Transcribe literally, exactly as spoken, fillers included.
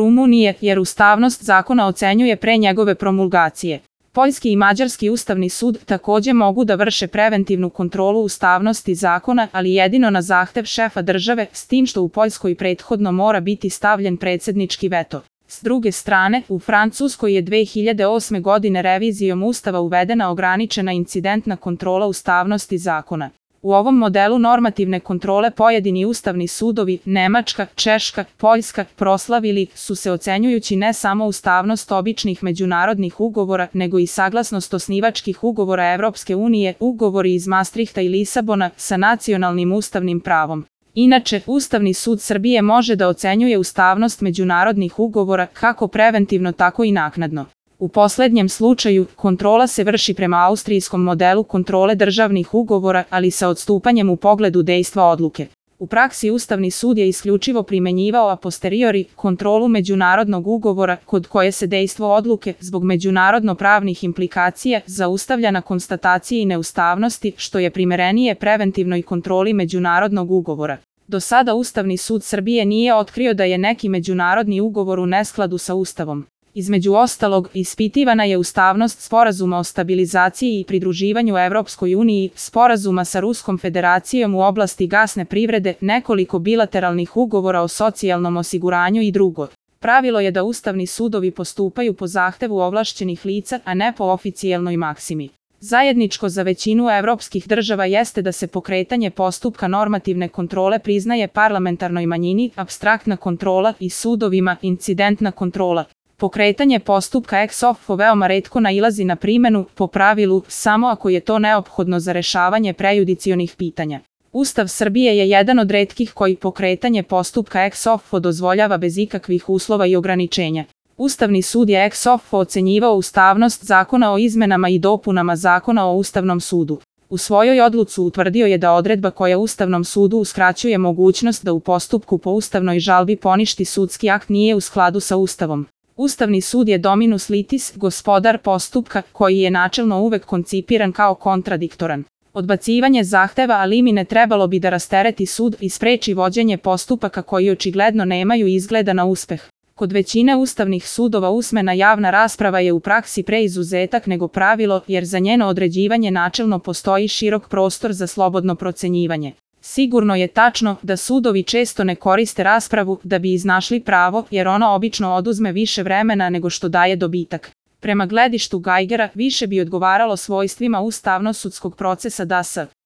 Rumunije, jer ustavnost zakona ocenjuje pre njegove promulgacije. Poljski i mađarski ustavni sud takođe mogu da vrše preventivnu kontrolu ustavnosti zakona, ali jedino na zahtev šefa države, s tim što u Poljskoj prethodno mora biti stavljen predsednički veto. S druge strane, u Francuskoj je dve hiljade osme godine revizijom ustava uvedena ograničena incidentna kontrola ustavnosti zakona. U ovom modelu normativne kontrole pojedini ustavni sudovi, Nemačka, Češka, Poljska, proslavili su se ocenjujući ne samo ustavnost običnih međunarodnih ugovora, nego i saglasnost osnivačkih ugovora Evropske unije, ugovori iz Maastrichta i Lisabona, sa nacionalnim ustavnim pravom. Inače, Ustavni sud Srbije može da ocenjuje ustavnost međunarodnih ugovora kako preventivno, tako i naknadno. U poslednjem slučaju, kontrola se vrši prema austrijskom modelu kontrole državnih ugovora, ali sa odstupanjem u pogledu dejstva odluke. U praksi Ustavni sud je isključivo primenjivao a posteriori kontrolu međunarodnog ugovora, kod koje se dejstvo odluke, zbog međunarodno-pravnih implikacija, zaustavlja na konstataciji neustavnosti, što je primerenije preventivnoj kontroli međunarodnog ugovora. Do sada Ustavni sud Srbije nije otkrio da je neki međunarodni ugovor u neskladu sa Ustavom. Između ostalog, ispitivana je ustavnost Sporazuma o stabilizaciji i pridruživanju Evropskoj uniji, Sporazuma sa Ruskom federacijom u oblasti gasne privrede, nekoliko bilateralnih ugovora o socijalnom osiguranju i drugo. Pravilo je da ustavni sudovi postupaju po zahtevu ovlašćenih lica, a ne po oficijelnoj maksimi. Zajedničko za većinu evropskih država jeste da se pokretanje postupka normativne kontrole priznaje parlamentarnoj manjini, apstraktna kontrola, i sudovima, incidentna kontrola. Pokretanje postupka ex offo veoma retko nailazi na primenu, po pravilu, samo ako je to neophodno za rešavanje prejudicionih pitanja. Ustav Srbije je jedan od retkih koji pokretanje postupka ex offo dozvoljava bez ikakvih uslova i ograničenja. Ustavni sud je ex offo ocenjivao ustavnost zakona o izmenama i dopunama Zakona o Ustavnom sudu. U svojoj odluci utvrdio je da odredba koja Ustavnom sudu uskraćuje mogućnost da u postupku po ustavnoj žalbi poništi sudski akt nije u skladu sa Ustavom. Ustavni sud je dominus litis, gospodar postupka, koji je načelno uvek koncipiran kao kontradiktoran. Odbacivanje zahteva a limine trebalo bi da rastereti sud i spreči vođenje postupaka koji očigledno nemaju izgleda na uspeh. Kod većine ustavnih sudova usmena javna rasprava je u praksi pre izuzetak nego pravilo, jer za njeno određivanje načelno postoji širok prostor za slobodno procenjivanje. Sigurno je tačno da sudovi često ne koriste raspravu da bi iznašli pravo, jer ono obično oduzme više vremena nego što daje dobitak. Prema gledištu Geigera, više bi odgovaralo svojstvima ustavno-sudskog procesa da s